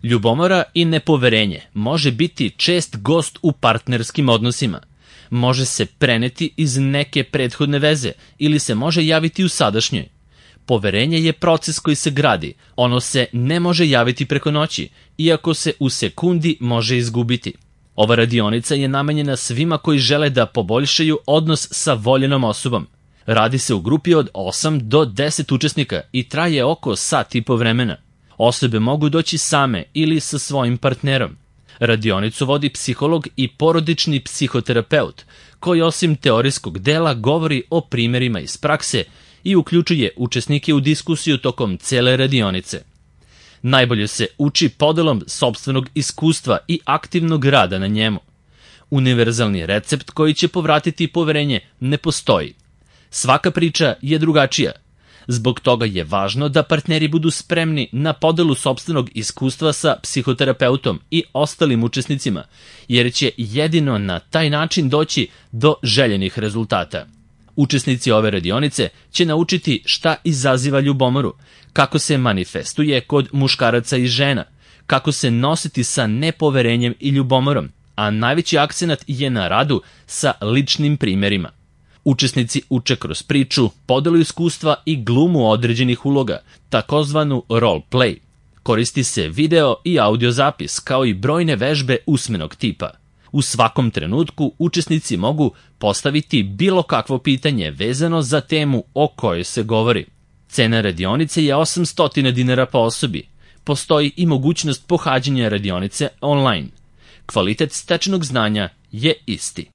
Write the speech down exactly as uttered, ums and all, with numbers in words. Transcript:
Ljubomora i nepoverenje može biti čest gost u partnerskim odnosima. Može se preneti iz neke prethodne veze ili se može javiti u sadašnjoj. Poverenje je proces koji se gradi, ono se ne može javiti preko noći, iako se u sekundi može izgubiti. Ova radionica je namenjena svima koji žele da poboljšaju odnos sa voljenom osobom. Radi se u grupi od osam do deset učesnika i traje oko sat i po vremena. Osobe mogu doći same ili sa svojim partnerom. Radionicu vodi psiholog i porodični psihoterapeut, koji osim teorijskog dela govori o primjerima iz prakse i uključuje učesnike u diskusiju tokom cele radionice. Najbolje se uči podelom sopstvenog iskustva i aktivnog rada na njemu. Univerzalni recept koji će povratiti poverenje ne postoji. Svaka priča je drugačija. Zbog toga je važno da partneri budu spremni na podelu sopstvenog iskustva sa psihoterapeutom i ostalim učesnicima, jer će jedino na taj način doći do željenih rezultata. Učesnici ove radionice će naučiti šta izaziva ljubomoru, kako se manifestuje kod muškaraca i žena, kako se nositi sa nepoverenjem i ljubomorom, a najveći akcenat je na radu sa ličnim primjerima. Učesnici uče kroz priču, podelu iskustva i glumu određenih uloga, takozvanu role play. Koristi se video i audio zapis, kao i brojne vežbe usmenog tipa. U svakom trenutku učesnici mogu postaviti bilo kakvo pitanje vezano za temu o kojoj se govori. Cena radionice je osamsto dinara po osobi. Postoji i mogućnost pohađanja radionice online. Kvalitet stečenog znanja je isti.